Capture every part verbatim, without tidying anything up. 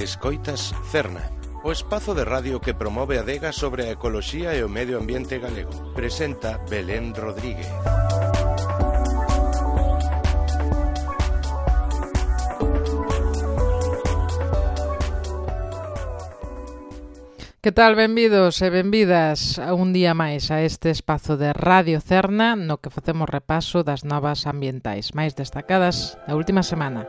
Escoitas Cerna, o espazo de radio que promove a adega sobre a ecoloxía e o medio ambiente galego. Presenta Belén Rodríguez. Que tal, benvidos e benvidas a un día máis a este espazo de Radio Cerna no que facemos repaso das novas ambientais máis destacadas da última semana.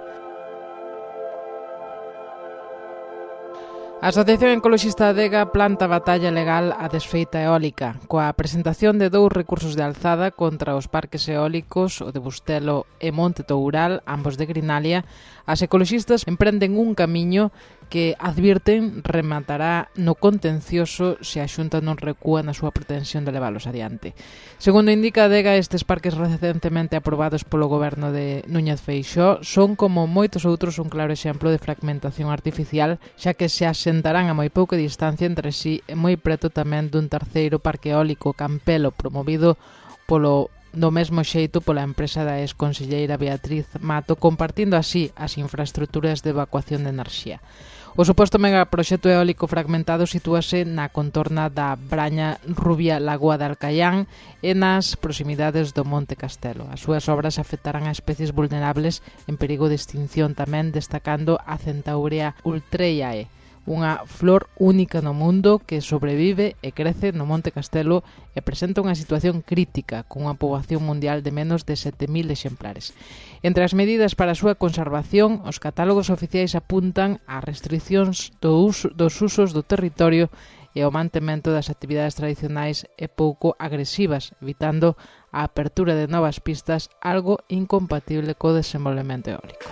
A Asociación Ecoloxista Adega planta batalla legal á desfeita eólica, coa presentación de dous recursos de alzada contra os parques eólicos, o de Bustelo e Monte Toural, ambos de Grinalia. As ecoloxistas emprenden un camiño que, advirten, rematará no contencioso se a Xunta non recúa na súa pretensión de leválos adiante. Segundo indica a Adega, estes parques recentemente aprobados polo goberno de Núñez Feixóo son, como moitos outros, un claro exemplo de fragmentación artificial, xa que se asentarán a moi pouca distancia entre sí e moi preto tamén dun terceiro parque eólico Campelo promovido polo do mesmo xeito pola empresa da exconselleira Beatriz Mato, compartindo así as infraestruturas de evacuación de enerxía. O suposto megaproxecto eólico fragmentado sitúase na contorna da Braña Rubia Lagoa de Alcaián e nas proximidades do Monte Castelo. As súas obras afectarán a especies vulnerables en perigo de extinción tamén, destacando a Centaurea ultreiae, unha flor única no mundo que sobrevive e crece no Monte Castelo e presenta unha situación crítica, cunha poboación mundial de menos de sete mil exemplares. Entre as medidas para a súa conservación, os catálogos oficiais apuntan a restriccións do uso, dos usos do territorio e ao mantemento das actividades tradicionais e pouco agresivas, evitando a apertura de novas pistas, algo incompatible co desenvolvemento eólico.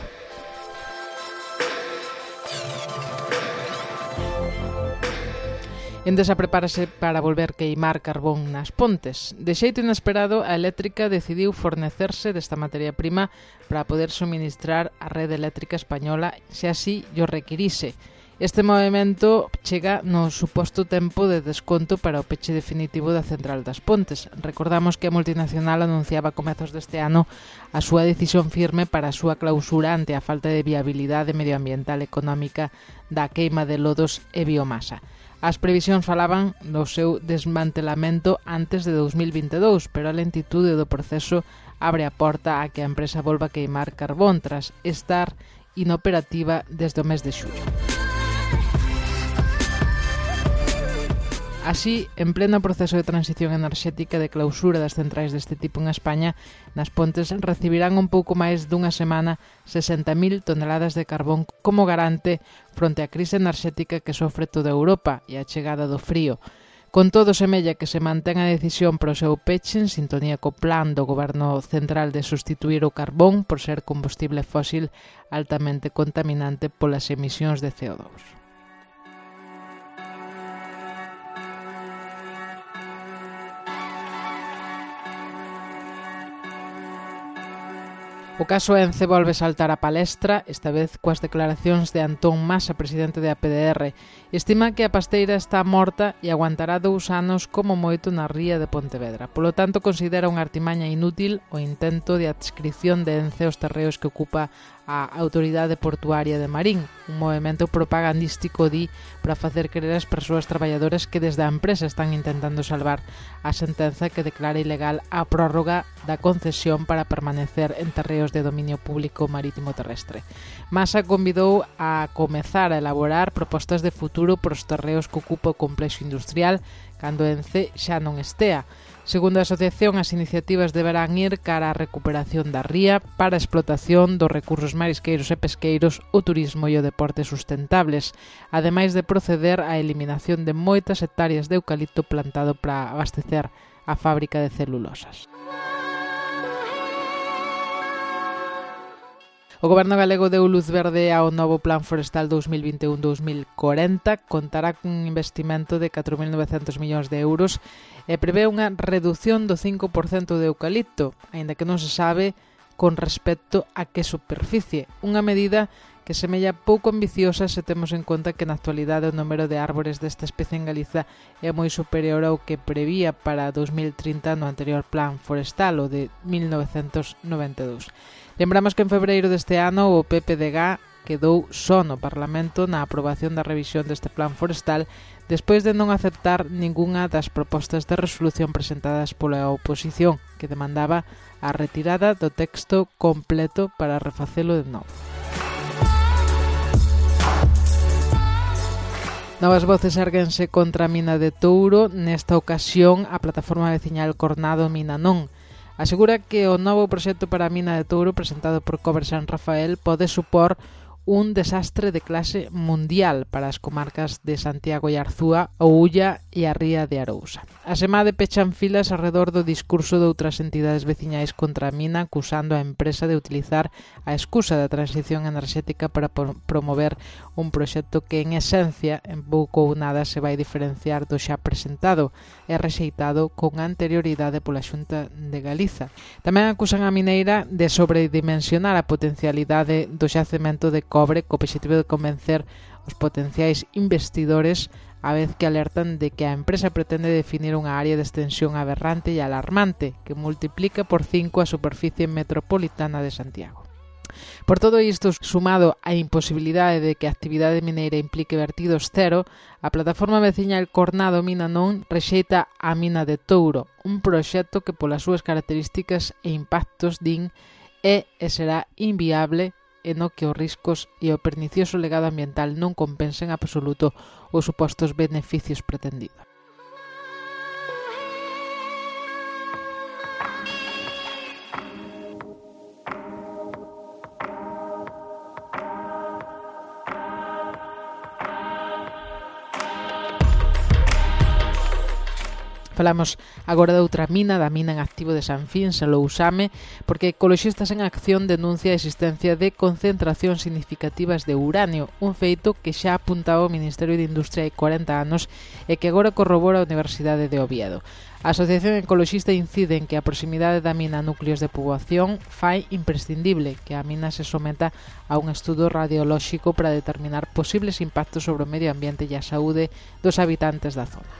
Endesa prepárase para volver queimar carbón nas pontes. De xeito inesperado, a eléctrica decidiu fornecerse desta materia prima para poder suministrar a rede eléctrica española se así llo requirise. Este movimento chega no suposto tempo de desconto para o peche definitivo da central das Pontes. Recordamos que a multinacional anunciaba a comezos deste ano a súa decisión firme para a súa clausura ante a falta de viabilidade medioambiental e económica da queima de lodos e biomasa. As previsións falaban do seu desmantelamento antes de dos mil vinte e dous, pero a lentitude do proceso abre a porta a que a empresa volva a queimar carbón tras estar inoperativa desde o mes de xullo. Así, en pleno proceso de transición enerxética de clausura das centrais deste tipo en España, nas Pontes recibirán un pouco máis dunha semana sesenta mil toneladas de carbón como garante fronte á crise enerxética que sofre toda Europa e a chegada do frío. Con todo, semella que se mantén a decisión para o seu peche en sintonía co plan do Goberno Central de sustituir o carbón por ser combustible fósil altamente contaminante polas emisións de C O dous. O caso Ence volve saltar a palestra, esta vez coas declaracións de Antón Masa, presidente de A P D R. Estima que a pasteira está morta e aguantará dous anos como moito na ría de Pontevedra. Polo tanto, considera unha artimaña inútil o intento de adscripción de Ence aos terreos que ocupa a Autoridade Portuaria de Marín, un movimento propagandístico, di, para facer creer ás persoas traballadoras que desde a empresa están intentando salvar a sentenza que declara ilegal a prórroga da concesión para permanecer en terreos de dominio público marítimo terrestre. Masa convidou a comezar a elaborar propostas de futuro para os terreos que ocupa o complexo industrial cando Ence xa non estea. Segundo a asociación, as iniciativas deberán ir cara á recuperación da ría para a explotación dos recursos marisqueiros e pesqueiros, o turismo e o deporte sustentables, ademais de proceder á eliminación de moitas hectáreas de eucalipto plantado para abastecer a fábrica de celulosas. O Goberno galego deu luz verde ao novo Plan Forestal dos mil vinte e un a dos mil corenta, contará cun investimento de catro mil novecentos millóns de euros e prevé unha reducción do cinco por cento de eucalipto, aínda que non se sabe con respecto a que superficie, unha medida que semella pouco ambiciosa se temos en conta que na actualidade o número de árbores desta especie en Galiza é moi superior ao que prevía para dos mil trinta no anterior Plan Forestal, o de mil novecentos noventa e dous. Lembramos que en febreiro deste ano o P P D G quedou só no Parlamento na aprobación da revisión deste plan forestal despois de non aceptar ningunha das propostas de resolución presentadas pola oposición, que demandaba a retirada do texto completo para refacelo de novo. Novas voces érguense contra a mina de Touro. Nesta ocasión, a plataforma veciñal Cornado Mina Non asegura que o novo proxecto para a mina de Touro presentado por Cobre San Rafael pode supor un desastre de clase mundial para as comarcas de Santiago e Arzúa, o Ulla e a Ría de Arousa. A semade pechan filas arredor do discurso de outras entidades veciñais contra a mina, acusando a empresa de utilizar a excusa da transición enerxética para promover un proxecto que en esencia en pouco ou nada se vai diferenciar do xa presentado e rexeitado con anterioridade pola Xunta de Galiza. Tamén acusan a mineira de sobredimensionar a potencialidade do xacemento de cobre co obxectivo de convencer os potenciais investidores, a vez que alertan de que a empresa pretende definir unha área de extensión aberrante e alarmante que multiplica por cinco a superficie metropolitana de Santiago. Por todo isto, sumado á imposibilidade de que a actividade mineira implique vertidos cero, a plataforma veciñal Cornado Mina Non rexeita a mina de Touro, un proxecto que polas súas características e impactos din é e será inviable e no que os riscos e o pernicioso legado ambiental non compensen absoluto os supostos beneficios pretendidos. Falamos agora de outra mina, da mina en activo de San Fins, en Lousame, porque Ecoloxistas en Acción denuncia a existencia de concentracións significativas de uranio, un feito que xa apuntaba o Ministerio de Industria hai corenta anos e que agora corrobora a Universidade de Oviedo. A Asociación Ecoloxista incide en que a proximidade da mina a núcleos de poboación fai imprescindible que a mina se someta a un estudo radiolóxico para determinar posibles impactos sobre o medio ambiente e a saúde dos habitantes da zona.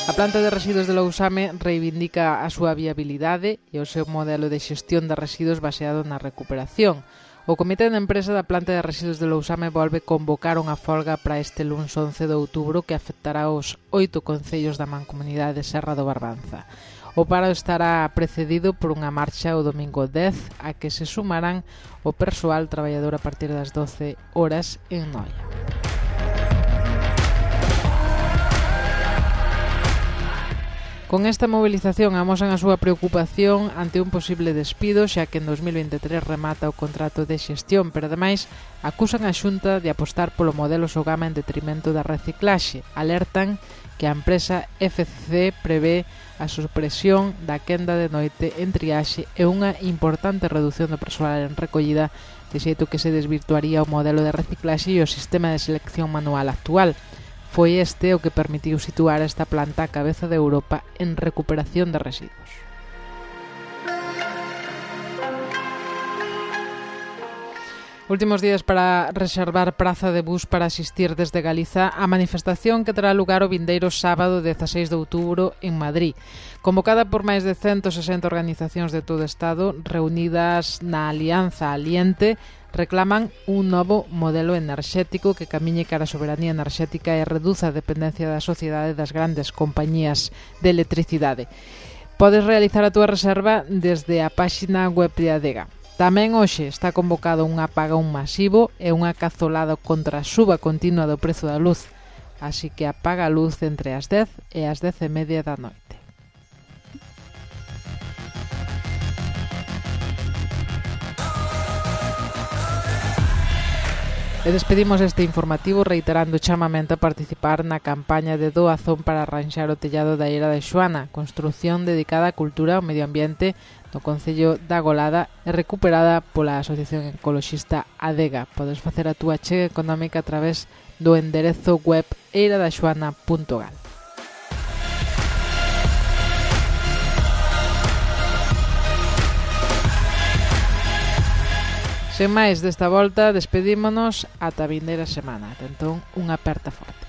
A planta de residuos de Lousame reivindica a súa viabilidade e o seu modelo de xestión de residuos baseado na recuperación. O Comité de Empresa da planta de residuos de Lousame volve convocar unha folga para este luns once de outubro que afectará os oito concellos da mancomunidade de Serra do Barbanza. O paro estará precedido por unha marcha o domingo dez a que se sumarán o persoal traballador a partir das doce horas en Noia. Con esta movilización amosan a súa preocupación ante un posible despido, xa que en dos mil veintitrés remata o contrato de xestión, pero ademais acusan a Xunta de apostar polo modelo Sogama en detrimento da reciclaxe. Alertan que a empresa F C C prevé a supresión da quenda de noite en triaxe e unha importante reducción do persoal en recollida, de xeito que se desvirtuaría o modelo de reciclaxe e o sistema de selección manual actual. Foi este o que permitiu situar esta planta a cabeza de Europa en recuperación de residuos. Últimos días para reservar praza de bus para asistir desde Galiza a manifestación que terá lugar o vindeiro sábado dezaseis de outubro en Madrid. Convocada por máis de ciento sesenta organizacións de todo o Estado reunidas na Alianza Aliente, reclaman un novo modelo enerxético que camiñe cara a soberanía enerxética e reduza a dependencia da sociedade das grandes compañías de electricidade. Podes realizar a túa reserva desde a páxina web de Adega. Tamén hoxe está convocado un apagón masivo e unha cazolada contra a suba continua do prezo da luz, así que apaga a luz entre as dez e as dez e media da noite. E despedimos este informativo reiterando o chamamento a participar na campaña de doazón para arranxar o tellado da Eira de Xoana, construción dedicada á cultura e ao medio ambiente no concello da Golada e recuperada pola Asociación Ecoloxista Adega. Podes facer a túa achega económica a través do enderezo web eira da xoana punto gal. Sen máis desta volta, despedímonos ata a vindeira semana. Entón, unha aperta forte.